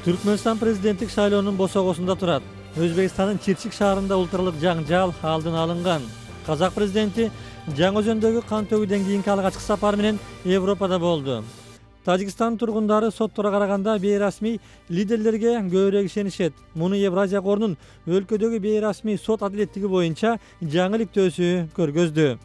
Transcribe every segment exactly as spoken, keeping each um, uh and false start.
Түркмөнстан президенттик шайлоонун босогосунда турат. Өзбекстандын Чирчик шаарында улуттаралык жаңжал алдын алынган. Казак президенти Жаңы Өзөндөгү кан төгүүдөн кийинки алгачкы сапары менен Европада болду. Тажикстан тургундары соттора караганда бейрасмий лидерлерге көбүрөөк ишенишет. Муну Евразия корунун өлкөдөгү бейрасмий сот адилеттиги боюнча жаңы иликтөөсү көргөздү.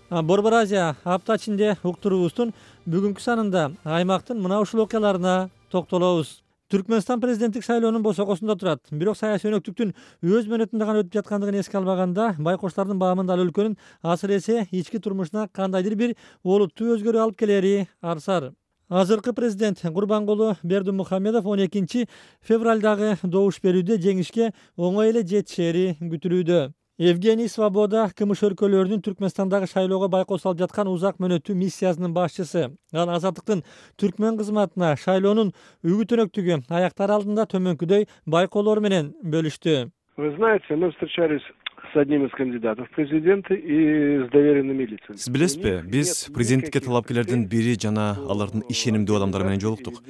Борбор Азия апта ичинде уктуруубуздун бүгүнкү санында аймактын мына ушул окуяларына токтолобуз. Түркмөнстан президенттик шайлоонун босогосунда турат. Бирок саясий өнөктүктүн өз мөөнөтүндө гана өтүп жаткандыгын эске албаганда, байкочлардын баамында ал өлкөнүн асыр эсе ички турмушуна кандайдыр бир олуттуу өзгөрүү алып келери арсар. Азыркы президент Гурбангулы Бердимухамедов он экинчи февралдагы добуш берүүдө жеңишке оңой эле жетишери күтүлүүдө. Евгений Свобода КМШ өлкөлөрүнүн Түркмөнстандагы шайлоого байкоос алып жаткан узак мөөнөттүү миссиясынын башчысы. Ал Азаттыктын түркмөн кызматына шайлоонун үгүт-өнөктүгү аяктар алдында төмөнкүдөй байкоолор менен бөлүштү. Вы знаете, мы встречались с одним из кандидатов в президенты и с доверенными лицами. Сиз билесизби, биз президенттикке талапкерлердин бири жана алардын ишенимдүү адамдары менен жолуктук.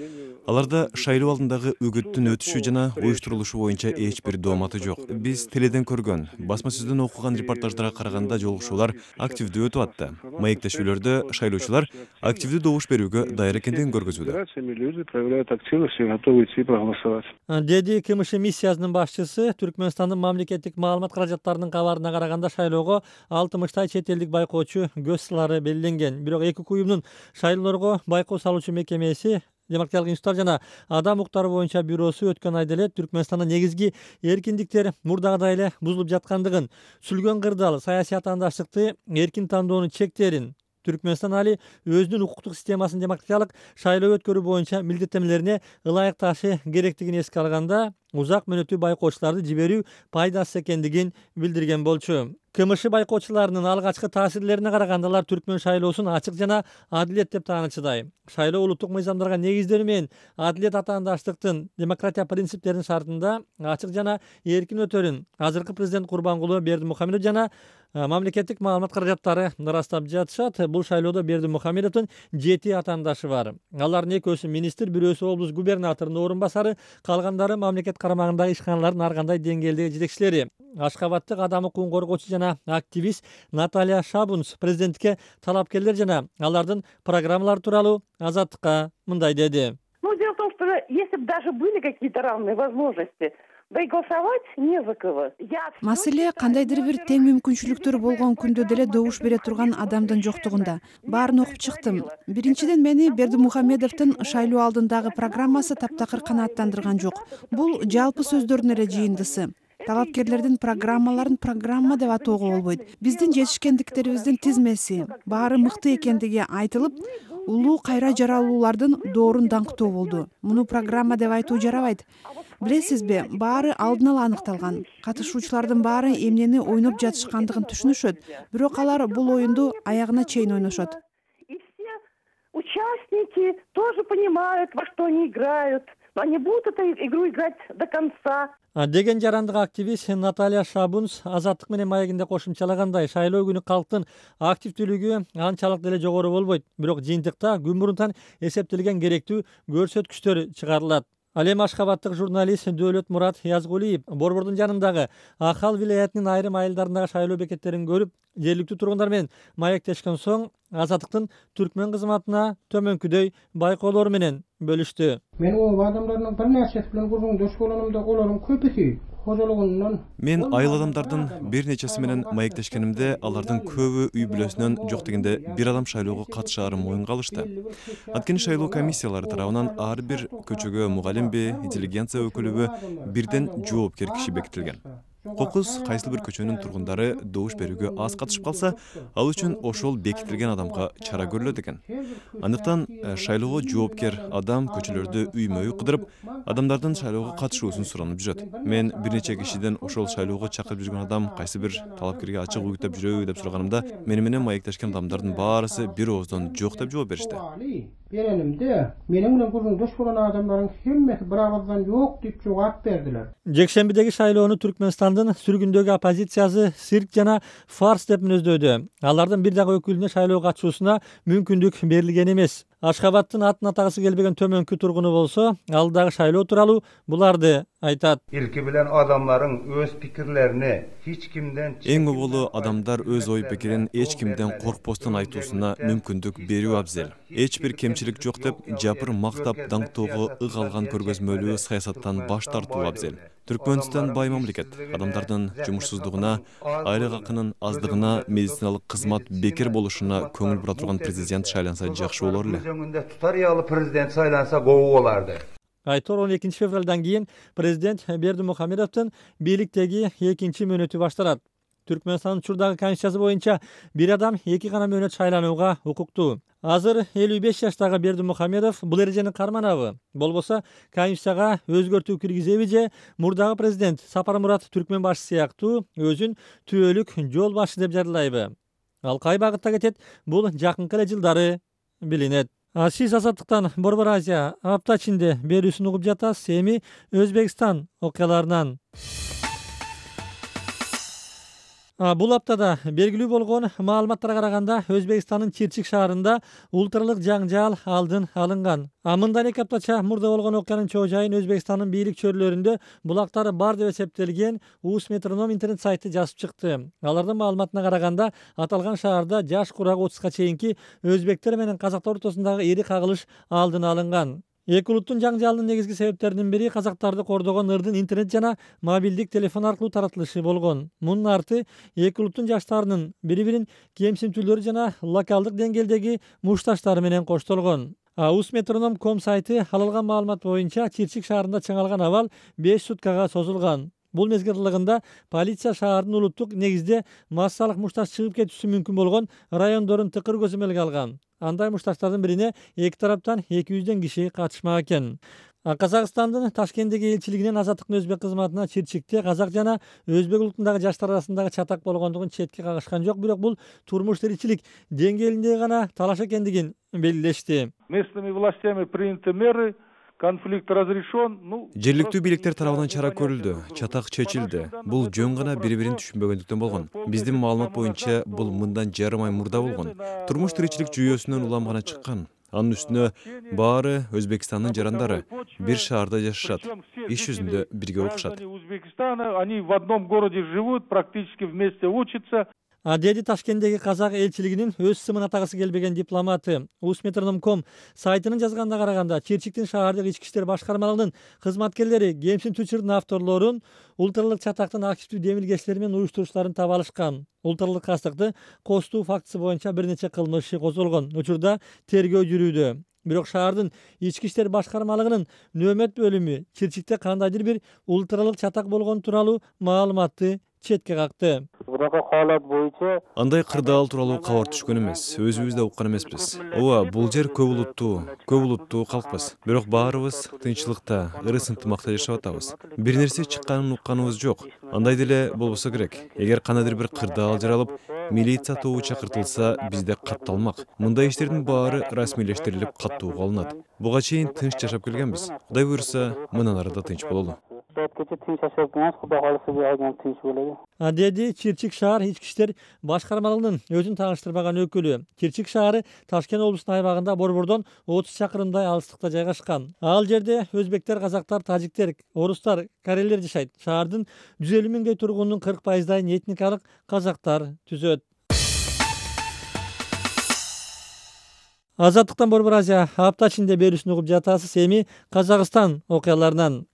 Аларда шайлоо алдындагы үгүттүн өтүшү жана уюштурулушу боюнча эч бир дооматы жок. Биз теледен көргөн, басма сөздөн окуган репортаждарга караганда жолугушуулар активдүү өтүп атты. Маектешүүлөрдө шайлоочулар активдүү добуш берүүгө даяр экендигин көргөзүүдө. Люди проявляют активность и готовы идти проголосовать. Деди КМШ миссиясынын башчысы. Түркмөнстандын мамлекеттик маалымат каражаттарынын кабарына караганда шайлоого алтымыштай чет элдик байкоочу көз салары белгиленген. Бирок эки уюмдун шайлоолорго байкоо салуучу мекемеси Демократиялык институттар жана адам укуктары боюнча бюросу өткөн айда эле Түркмөнстанда негизги эркиндиктер мурдагыдай эле бузулуп жаткандыгын, сүлгөн кырдаал саясий атаандаштыкты, эркин тандоонун чектерин, Түркмөнстан али өзүнүн укуктук системасын демократиялык шайлоо өткөрүү боюнча милдеттенмелерине ылайыкташы керектигин эске алганда, узак мөөнөттүү байкоочуларды жиберүү пайдасыз экендигин билдирген болчу. КМШ байкоочуларынын алгачкы таасирлерине караганда алар түркмөн шайлоосун ачык жана адилет деп таанычыдай. Шайлоо улуттук мыйзамдарга негизделүү менен адилет атаандаштыктын, демократия принциптеринин шартында ачык жана эркин өтөрүн азыркы президент Гурбангулы Бердимухамедов жана мамлекеттик маалымат каражаттары ырастап жатышат. Бул шайлоодо Бердимухамедовдун жети атаандашы бар. Алардын экөөсү министр, бирөөсү облус губернаторунун орун басары, калгандары мамлекет карамагындагы ишканалардын ар кандай деңгээлдеги жетекчилери. Ашкабаттык адам укугун коргоочу жана активист Наталья Шабунц президентке талапкерлер жана алардын программалары тууралуу Азаттыкка мындай деди. Ну, дело в том, что если бы даже были какие-то равные возможности, да и голосовать не за кого. Маселе кандайдыр бир тең мүмкүнчүлүктөр болгон күндө деле добуш бере турган адамдын жоктугунда. Баарын окуп чыктым. Биринчиден, мени Бердимухамедовдун шайлоо алдындагы программасы таптакыр канааттандырган жок. Бул жалпы сөздөрдүн эле жыйындысы. Талапкерлердин программаларын программа деп атоого болбойт. Биздин жетишкендиктерибиздин тизмеси, баары мыкты экендиги айтылып, улуу кайра жаралуулардын доорун даңктоо болду. Муну программа деп айтуу жарабайт. Билесизби, баары алдын ала аныкталган. Катышуучулардын баары эмнени ойноп жатышкандыгын түшүнүшөт, бирок алар бул оюнду аягына чейин ойношот. И все участники тоже понимают, во что они играют. Но они будут эту игру играть до конца. Деген жарандык активист Наталья Шабунц Азаттык менен маегинде кошумчалагандай, шайлоо күнү калктын активдүүлүгү анчалык деле жогору болбойт. Бирок жыйынтыкта күн мурунтан эсептелген керектүү көрсөткүчтөр чыгарылат. Ал эми ашкабаттык журналист Дөөлөт Мурат Язгулиев Борбордун жанындагы Ахал вилаятынын айрым айылдарындагы шайлоо бекеттерин көрүп, жергиликтүү тургундар менен маектешкен соң Азаттыктын түркмөн кызматына төмөнкүдөй байкоолор менен бөлүштү. Мен о адамдардын бир нерсеси менен узун дош болгонумда олордун көпүсү кожолугунан. Мен айыл адамдардын бир нечеси менен маектешкенимде алардын көбү үй бүлөсүнөн жок дегенде бир адам шайлоого катышаарын моюнга алышты. Анткени шайлоо комиссиялары тарабынан ар бир көчөгө мугалимби, интеллигенция өкүлүбү бирден жоопкер киши бекитилген. Кокус кайсыл бир көчөнүн тургундары добуш берүүгө аз катышып калса, ал үчүн ошол бекитилген адамга чара көрүлөт экен. Андыктан шайлоого жоопкер адам көчөлөрдү үймө үй кыдырып, адамдардын шайлоого катышуусун суранып жүрөт. Мен бир нече кишиден ошол шайлоого чакырып жүргөн адам кайсы бир талапкерге ачык үгүттөп жүрөбү деп сураганымда, мени менен маектешкен адамдардын баарысы бир ооздон жок деп жооп беришти. Беренимде менин менен курдун дош болгон адамдардын хеммеси бир абалдан жок деп жооп бердилер. Жекшембидеги шайлоону Түркмөнстандын сүргүндөгү оппозициясы цирк жана фарс деп мүнөздөдү. Алардын бир дагы өкүлүнө шайлоого катышуусуна мүмкүндүк берилген эмес. Ашхабадтын атын атагысы келбеген төмөнкү тургуну болсо, алдагы шайлоо тууралуу буларды айтат. Илки билен адамларың өз пикирлерини hiç kimden Эң оболу адамдар өз ой пикирин эч кимден коркпостон айтуусуна мүмкүндүк берүү абзел. Эч бир кемчилик жок деп жапыр мактап даңктоого ык алган көргөзмөлүү саясаттан баш тартуу абзел. Түркмөнстан бай мамлекет. Адамдардын жумушсуздугуна, айлык акынын аздыгына, медициналык кызмат бекер болушуна көңүл бура турган президент шайланса жакшы болор эле. Özüngünde tutar yalı prezident saylansa goğu olardı. Айтор он экинчи февралдан кийин президент Бердимухамедовдун бийликтеги экинчи мөөнөтү башталат. Түркмөнстандын учурдагы конституциясы боюнча бир адам эки гана мөөнөт шайланууга укуктуу. Азыр элүү беш жаштагы Бердимухамедов бул эрежени карманабы? Болбосо конституцияга өзгөртүү киргизеби же мурдагы президент Сапармурат Түркмөн башчы сыяктуу өзүн түбөлүк жол башчы деп жарыялайбы? Ал кай багытта кетет? Бул жакынкы эле жылдары билинет. Сиз Азаттыктан Борбор Азия апта ичинде берүүсүн угуп жатасыз. Эми Өзбекстан окуяларынан. Бул аптада белгилүү болгон маалыматтарга караганда Өзбекстандын Чирчик шаарында улуттаралык жаңжал алдын алынган. Мындан эки аптача мурда болгон окуянын чоо жайын Өзбекстандын бийлик чөйрөлөрүндө булактары бар деп эсептелген Ус Метроном интернет сайты жазып чыкты. Алардын маалыматына караганда аталган шаарда жаш курагы отузга чейинки өзбектер менен казактар ортосундагы эри кагылыш алдын алынган. Эки улуттун жаңжалынын негизги себептеринин бири казактарды кордогон ырдын интернет жана мобилдик телефон аркылуу таратылышы болгон. Мунун арты эки улуттун жаштарынын бири-бирин кемсинтүүлөрү жана локалдык деңгээлдеги мушташтары менен коштолгон. Ус Метроном точка ком сайты алалган маалымат боюнча Чирчик шаарында чыңалган абал беш суткага созулган. Бул мезгил аралыгында полиция шаардын улуттук негизде массалык мушташ чыгып кетүүсү мүмкүн болгон райондорун тыкыр көзөмөлгө алган. Андай мушташтардын бирине эки тараптан эки жүздөн киши катышмак экен. Казакстандын Ташкенттеги элчилигинин азаттыктын өзбек кызматына Чирчикте казак жана өзбек улутундагы жаштар арасындагы чатак болгондугун четке кагышкан жок, бирок бул турмуш тиричилик деңгээлинде гана талаш экендигин белгилешти. Местными властями приняты меры. Конфликт разрешен. Жергиликтүү бийликтер тарабынан чара көрүлдү, чатак чечилди. Бул жөн гана бири-бирин түшүнбөгөндүктөн болгон. Биздин маалымат боюнча бул мындан жарым ай мурда болгон. Турмуш тиричилик жүйөсүнөн улам гана чыккан. Анын үстүнө баары Өзбекстандын жарандары бир шаарда жашашат. Иш жүзүндө бирге окушат. Они в одном городе живут, практически вместе учатся. Деди Ташкенттеги казак элчилигинин өз сымын атагысы келбеген дипломаты. Ус Метроном точка ком сайтынын жазганына караганда Чирчиктин шаардык ички иштер башкармалыгынын кызматкерлери кемсинтүүчүлөрдүн авторлорун, улуттаралык чатактын активдүү демилгечилери менен уюштуруучуларын таба алышкан. Улуттаралык кастыкты костуу фактысы боюнча бир нече кылмыш иши козголгон. Учурда тергөө жүрүүдө. Бирок шаардын ички иштер башкармалыгынын нөөмөт бөлүмү Чирчикте кандайдыр бир улуттаралык чатак болгон тууралуу маалыматты четке какты. Андай кырдаал тууралуу кабар түшкөн эмес. Өзүбүз да уккан эмеспиз. Ооба, бул жер көп улуттуу, көп улуттуу калкпыз. Бирок баарыбыз тынччылыкта, ырыс ынтымакта жашап атабыз. Бир нерсе чыкканын укканыбыз жок. Андай деле болбосо керек. Эгер кандайдыр бир кырдаал жаралып, милиция тобу чакыртылса, бизде катталмак. Мындай иштердин баары расмийлештирилип каттууга алынат. Буга чейин тынч жашап келгенбиз. Кудай буйруса, мындан ары да тынч бололу. Деди Чирчик шаар ички иштер башкармалыгынын өзүн тааныштырбаган өкүлү. Чирчик шаары Ташкент облусунун айбагында Борбордон отуз чакырымдай алыстыкта жайгашкан. Ал жерде өзбектер, казактар, тажиктер, орустар, корейлер жашайт. Шаардын жүз элүү миңдей тургунунун кырк пайыздайын этникалык казактар түзөт. Азаттыктан Борбор Азия апта ичинде берүүсүн угуп жатасыз. Эми Казакстан окуяларынан.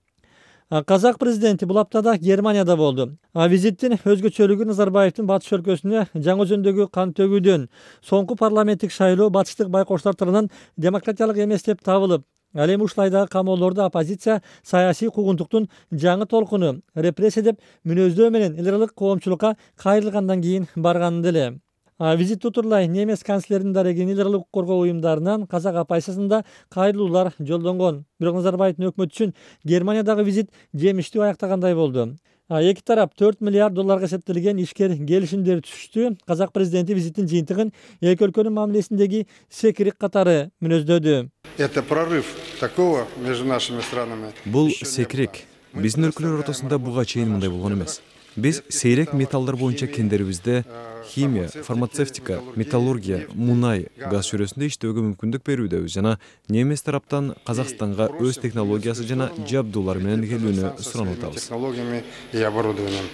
Казак президенти бул аптада Германияда болду. Визиттин өзгөчөлүгү Назарбаевдин батыш өлкөсүнө жаңы өзөндөгү кан төгүүдөн соңку парламенттик шайлоо батыштык байкоштор тарабынан демократиялык эмес деп табылып, ал эми ушулайдагы камоолорду оппозиция саясий куугунтуктун жаңы толкуну репрессия деп мүнөздөө менен эл аралык коомчулукка кайрылгандан кийин барган деле. Визит утурлай немес канцлеринин дарегин эл аралык коргоо уюмдарынан казак оппозициясында кайрылуулар жолдонгон. Бирок Назарбаевдин өкмөтү үчүн Германиядагы визит жемиштүү аяктагандай болду. Эки тарап төрт миллиард долларга эсептелген ишкер келишимдер түзүштү. Казак президенти визиттин жыйынтыгын эки өлкөнүн мамилесиндеги секирик катары мүнөздөдү. Это прорыв такого между нашими странами. Бул секирик. Биздин өлкөлөр ортосунда буга чейин мындай болгон эмес. Биз сейрек металлдар боюнча кендерибизде химия, фармацевтика, металлургия, мунай, газ чөйрөсүндө иштөөгө мүмкүндүк берүүдөбүз жана немес тараптан Казакстанга өз технологиясы жана жабдуулар менен келүүнү суранып атабыз. Технологиями и оборудованием.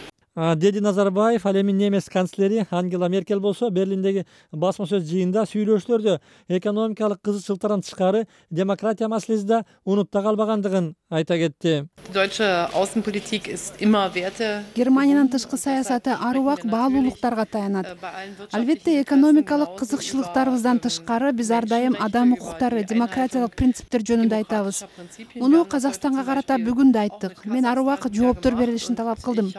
Деди Назарбаев. Ал эми немес канцлери Ангела Меркель болсо Берлиндеги басма сөз жыйында сүйлөшүүлөрдө экономикалык кызыкчылыктардан тышкары демократия маселеси да унутта калбагандыгын айта кетти. Германиянын тышкы саясаты ар убак баалуулуктарга таянат. Албетте экономикалык кызыкчылыктарыбыздан тышкары биз ар дайым адам укуктары, демократиялык принциптер жөнүндө айтабыз. Муну Казакстанга карата бүгүн да айттык. Мен ар убак жооптор берилишин талап кылдым.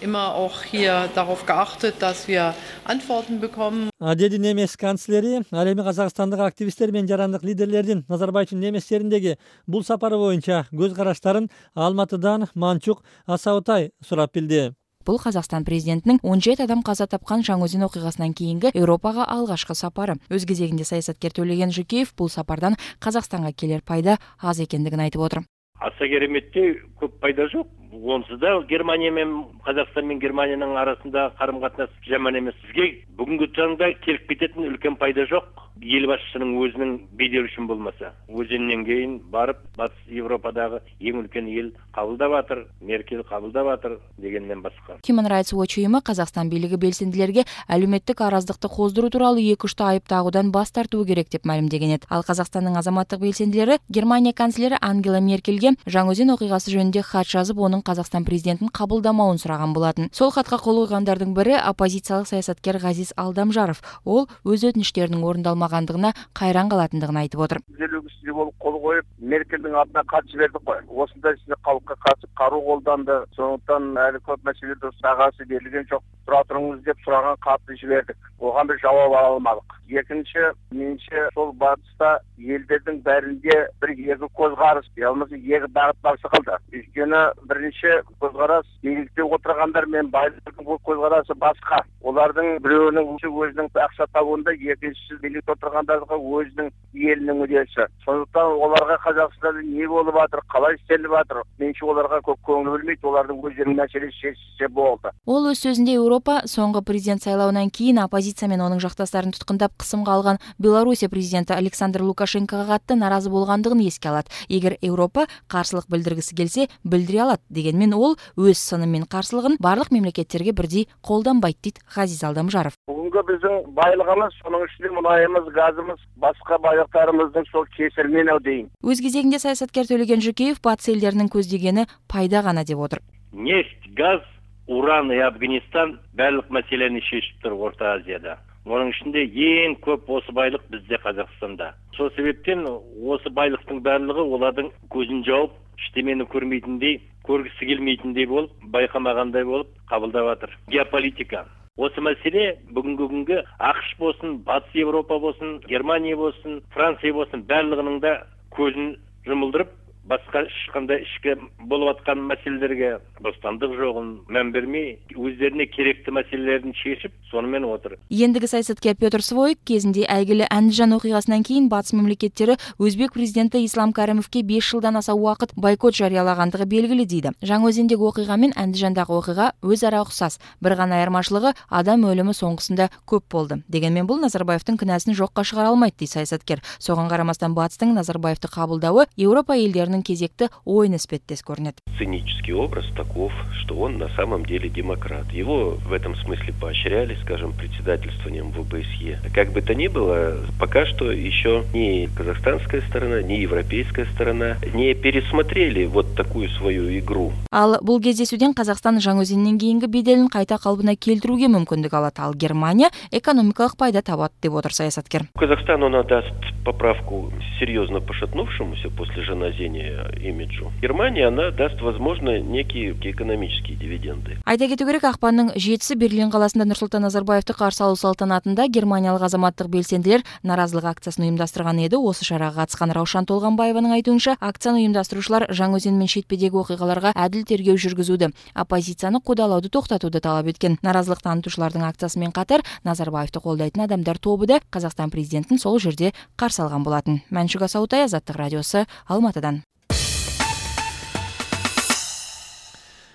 Immer auch hier darauf geachtet, dass wir Antworten bekommen. Деди немес канцлери. Ал эми Казакстандык активисттер менен жарандык лидерлердин Назарбаевдин немес жериндеги бул сапары боюнча көз караштарын Алматыдан Манчук Асаутай сурап билди. Бул Казакстан президентинин он жети адам каза тапкан Жаңы-Өзен окугасынан кийинки Европага алгачкы сапары. Өз кезегинде саясаткер Төлеген Жукеев бул сапардан Казакстанга келер пайда аз экендигин айтып отур. Аса кереметте көп пайда жок. Онсыз да Германия менен Казакстан менен Германиянын арасында карым-катнаш жаман эмес. Бизге бүгүнкү таңда келип кететін үлкен пайда жок. Ел башчысынын өзүнүн бедери үчүн болмаса, өзүнөн кийин барып Батыс Европадагы эң үлкен эл кабылдап атыр, Меркель кабылдап атыр дегенден башка. Human Rights Watch уюму Казакстан бийлиги белсендилерге алюметтик араздыкты коздуруу тууралуу эки учта айып тагуудан бас тартуу керек деп маалимдеген эт. Ал Казакстандын азаматтык белсендилери Германия канцлери Ангела Меркельге Жаңы-Өзен окугасы жөнүндө кат жазып, онун Казакстан президентин кабылдамауын сураган болатын. Сол катка кол койгондордун бири оппозициялык саясаткер Газиз Алдамжаров. Ол өз өтүнүчтөрүнүн орундалмагандыгына кайран калатындыгын айтып отур. Түзөлүүгүсү болуп кол коюп, Меркелдин атына кат жибердик кой. Осундай сиз калкка катып каруу колданды. Сондуктан али көп маселелерде сагасы берилген жок. Тура туруңуз деп сураган катты жибердик. Ога бир жооп ала алмадык. Экинчи, менимче сол батыста элдердин бәринде бир эки көз караш, болбосо эки багыт барса калды. Өйткөнү биринчи көз караш бийликте отургандар менен байлардын көз карашы башка. Олардын бирөөнүн өзүнүн акча табуунда, экинчиси бийликте отургандарга өзүнүн элинин мүдөсү. Сондуктан оларга Казакстанда эмне болуп атыр, калай иштелип атыр, менимче оларга көп көңүл бөлмөйт, олардын өзүнүн маселеси чечилсе болду. Ол өз сөзүндө Европа соңку президент сайлауынан кийин оппозиция менен онун жакташтарын туткундап кысымга алган Белоруссия президенти Александр Лукашенкого катты наразы болгондугун эске алат. Эгер Европа каршылык билдиргиси келсе, билдире алат дегенмен ол өз сыны менен каршылыгын барлык мемлекеттерге бирдей колдонбойт дейт Газиз Алдамжаров. Бүгүнкү биздин байлыгыбыз, сонун ичинде мунайыбыз, газыбыз, башка байлыктарыбыздын сол кесиринен дейм. Өз кезегинде саясаткер Төлеген Жукеев батыс элдеринин көздөгөнү пайда гана деп отур. Нефть, газ, уран и Афганистан барлык маселени чечип туруп Орто Азияда. Onun içinde en көп осы байлык bizde Қазақстанда. Сол себептен осы байлыктын барлыгы олардын көзүн жауып, иштемени көрмейтиндей, көргүсү келмейтиндей болуп, байкамагандай болуп кабылдап атыр. Геополитика. Осы маселе бүгүнкү күнгө АКШ болсун, Батыс Европа болсун, Германия болсун, Франция болсун, барлыгынын да көзүн жумулдырып, башка ешкандай ишке болуп аткан маселелерге бостандык жогун мән бермей, өздерine керектүү маселелерин чечип, сону менен отур. Ендиги саясаткер Петр Своик кезинде айгиле Андижан окугасынан кийин батыс мемлекеттери Өзбек президенти Ислам Каримовке беш жылдан аса убакыт бойкот жарыялагандыгы белгилүү дейди. Жаңы-Өзендеги окуга менен Андижандагы окуга өз ара окшас. Бир гана айырмачылыгы адам өлүмү соңгусунда көп болду. Дегенмен бул Назарбаевдин күнөөсүн жокко чыгара алмайт дейт саясаткер. Согон карамастан батыстын Назарбаевди кабылдабы Европа элдеринин кезекти оюн эспеттес көрүнөт. Цинический образ таков, что он на самом деле демократ. Его в этом смысле поощряли, скажем, председательствованием в ОБСЕ. Как бы то ни было, пока что еще ни казахстанская сторона, ни европейская сторона не пересмотрели вот такую свою игру. Ал бул кездесүүдөн Казакстан Жаңы-Өзенден кийинки беделин кайта калыбына келтирүүгө мүмкүндүк алат. Ал Германия экономикалык пайда табат деп отур саясаткер. Казахстану она даст поправку серьезно пошатнувшемуся после жаназения имиджу. Германия она даст, возможно, некие экономические дивиденды. Айта кетүү керек, акпандын жетиси Берлин каласында Нурсултан Назарбаевди каршы алуу салтанатында германиялык азаматтык белсендилер наразылык акциясын уюмдаштырган эди. Осы шарага катышкан Раушан Толгонбаеванын айтуунча, акцияны уюмдаштыруучулар Жаңы-Өзен менен шетпедеги окуяларга адил тергөө жүргүзүүдө, оппозицияны кудалауду токтотууду талап эткен. Наразылык танытуучулардын акциясы менен катар Назарбаевди колдойтун адамдар тобу да Казакстан президентин сол жерде каршы алган болатын. Манчук Асаутай, Азаттык радиосу, Алматыдан.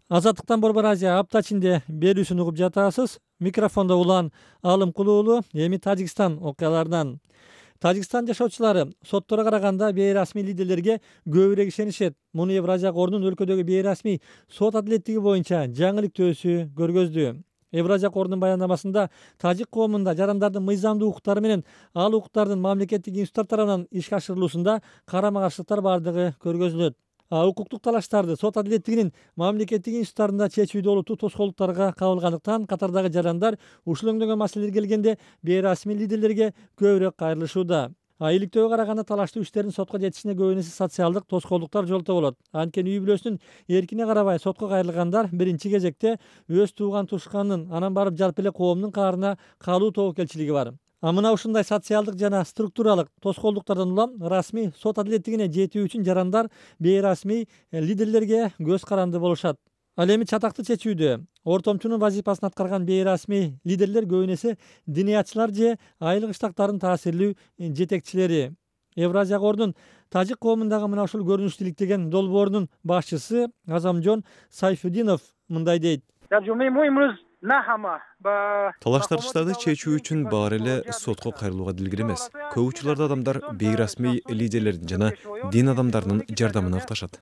Азаттыктан Борбор Азия апта ичинде берүүсүн угуп жатасыз. Микрофондо Улан Алымкулуу уулу. Эми Тажикстан окуяларынан. Тажикстан жашоочулары соттора караганда бейрасмий лидерлерге көбүрөөк ишенишет. Муну Евразия корунун өлкөдөгү бейрасмий сот адилеттиги боюнча жаңылыктөөсү көргөздү. Евразия корунун баяндамасында тажик коомунда жарандардын мыйзамдуу укуктары менен ал укуктардын мамлекеттик институттар тарабынан ишке ашырылуусунда карама каршылыктар бардыгы көргөзүлөт. Укуктук талаштарды сот адилеттигинин мамлекеттик институттарында чечүүдө олуттуу тоскоолдуктарга кабылгандыктан катардагы жарандар ушул өңдөгөн маселелерге келгенде бейрасмий лидерлерге көбүрөөк кайрылышууда. Иликтөөгө караганда талаштуу иштердин сотко жетишине көбүнесе социалдык тоскоолдуктар жолтоо болот. Анткени үй бүлөсүнүн эркине карабай сотко кайрылгандар биринчи кезекте өз тууган тушканын, анан барып жалпы эле коомдун каарына калуу тобокелчилиги бар. А мына ушундай социалдык жана структуралык тоскоолдуктардан улам расмий сот адилеттигине жетүү үчүн жарандар бейрасмий лидерлерге көз каранды болушат. Ал эми чатакты чечүүдө ортомчунун вазифасын аткарган бейрасмий лидерлер көбүнесе диниятчылар же айыл кыштактардын таасирлүү жетекчилери. Евразия корунун тажик коомундагы мына ушул көрүнүштү иликтеген долбоорунун башчысы Азамжон Сайфудинов мындай дейт. Талаш-тартыштарды чечүү үчүн баары эле сотко кайрылууга дилгир эмес. Көп учурларда адамдар бейрасмий лидерлердин жана дин адамдарынын жардамын акташат.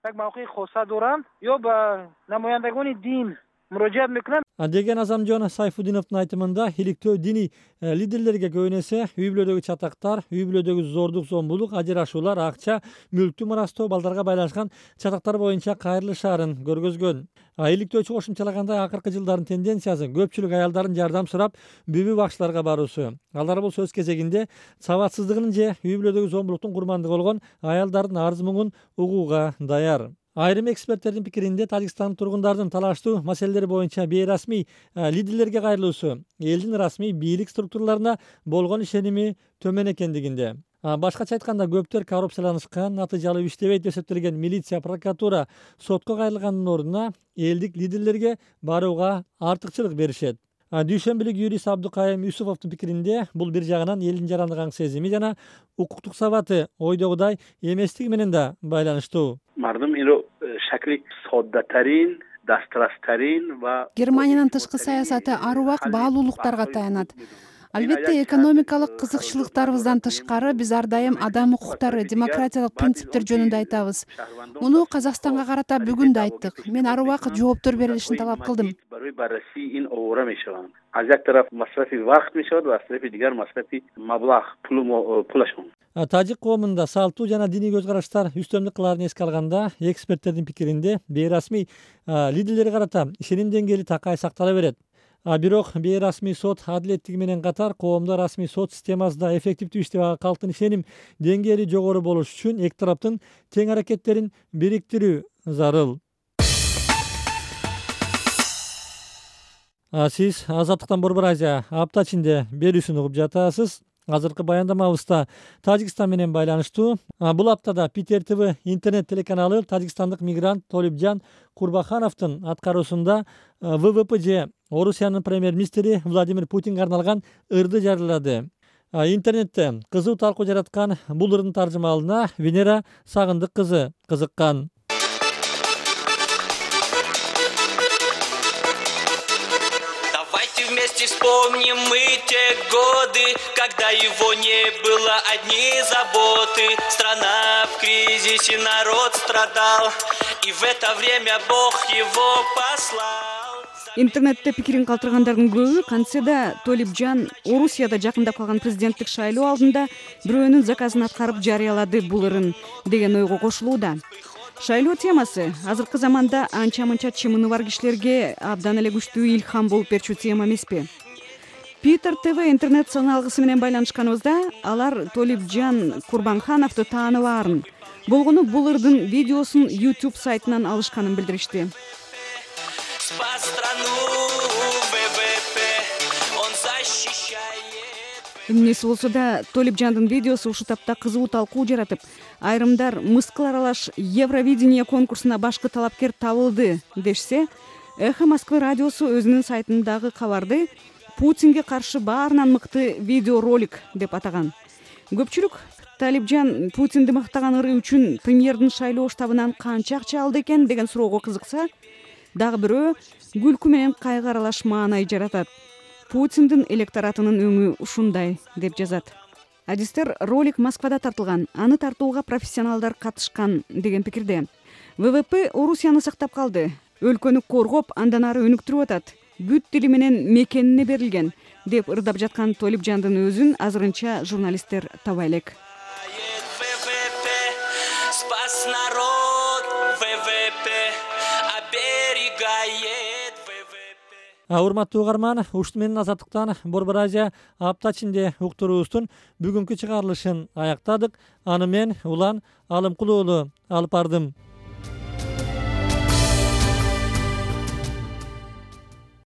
Деген Азамжон Сайфудиновдун айтымында иликтөө диний лидерлерге көбүнесе үй бүлөдөгү чатактар, үй бүлөдөгү зордук, зомбулук, ажырашуулар, акча, мүлктү мурастоо, балдарга байланышкан чатактар боюнча кайрылышаарын көргөзгөн. Иликтөөчү кошумчалагандай акыркы жылдардын тенденциясы көпчүлүк аялдардын жардам сурап бүбү бакчыларга баруусу. Алар бул сөз кезегинде сабатсыздыгынын же үй бүлөдөгү зомбулуктун курмандыгы болгон аялдардын арыз муңун угууга даяр. Айрым эксперттердин пикиринде Тажикстандын тургундардын талаштуу маселелери боюнча бейрасмий лидерлерге кайрылуусу элдин расмий бийлик структураларына болгон ишеними төмөн экендигинде. Башкача айтканда көптөр коррупцияланышкан, натыйжалуу иштебейт деп эсептелген милиция, прокуратура сотко кайрылгандын ордуна элдик лидерлерге барууга артыкчылык беришет. Дүйшөмбүлүк юрист Абдукайым Юсуповдун пикиринде бул бир жагынан элдин жарандык аң сезими жана укуктук сабаты ойдогудай эместиги менен да байланыштуу. Германиянын тышкы саясаты ар убак баалуулуктарга таянат. Албетте, экономикалык кызыкчылыктарыбыздан тышкары биз ар дайым адам укуктары, демократиялык принциптер жөнүндө айтабыз. Муну Казакстанга карата бүгүн да айттык. Мен ар убакыт жооптор берилишин талап кылдым. Тажик коомунда салттуу жана диний көз караштар үстөмдүк кылаарын эске алганда, эксперттердин пикиринде бейрасмий лидерлерге карата ишеним деңгээли такай сактала берет. А бирок бейрасмий сот адилеттиги менен катар коомдо расмий сот системасында эффективдүү иштеп калктын ишеним деңгээли жогору болуш үчүн эки тараптын тең аракеттерин бириктирүү зарыл. Сиз Азаттыктан Борбор Азия апта ичинде берүүсүн угуп жатасыз. Азыркы баяндамабызда Тажикстан менен байланыштуу. Бул аптада Питер ТВ интернет телеканалы тажикстандык мигрант Толипжан Курбахановдун аткаруусунда ВВП же Орусиянын премьер-министри Владимир Путинге арналган ырды жарыялады. Интернетте кызуу талкуу жараткан бул ырдын таржымалына Венера Сагындык кызы кызыккан. Вместе вспомним мы те годы, когда его не было, одни заботы. Страна в кризисе, народ страдал, и в это время Бог его послал. Интернетте пикирин калтыргандардын көбү кантсе да Толипжан Орусияда жакындап калган президенттик шайлоо алдында бирөөнүн заказын аткарып жарыялады бул ырын деген ойго кошулууда. Шайлоо темасы азыркы заманда анча-мынча чымыны бар кишилерге абдан эле күчтүү илхам болуп берчү тема эмеспи? Питер ТВ интернет саналгысы менен байланышканыбызда алар Толипжан Курбанхановду тааныбаарын, болгону бул ырдын видеосун YouTube сайтынан алышканын билдиришти. Эмнеси болсо да Толипжандын видеосу ушул тапта кызуу талкуу жаратып, айрымдар мыскыл аралаш Евровидение конкурсуна башкы талапкер табылды дешсе, Эхо Москвы радиосу өзүнүн сайтындагы кабарды Путинге каршы баарынан мыкты видеоролик деп атаган. Көпчүлүк Толипжан Путинди мактаган ыры үчүн премьердин шайлоо штабынан канча акча алды экен деген суроого кызыкса, дагы бирөө күлкү менен кайгы аралаш маанай жаратат. Путиндин электоратынын өңү ушундай деп жазат. Адистер ролик Москвада тартылган, аны тартууга профессионалдар катышкан деген пикирде. ВВП Орусияны сактап калды. Өлкөнү коргоп, андан ары өнүктүрүп атат. Бүт тили менен мекенине берилген деп ырдап жаткан Толипжандын өзүн азырынча журналисттер табай элек. Спас народ, ВВП оберегает ВВП. Урматтуу угарман, ушун менен Азаттыктан Борбор Азия апта ичинде уктуруубуздун бүгүнкү чыгарылышын аяктадык. Аны мен Улан Алымкулуу алып бардым.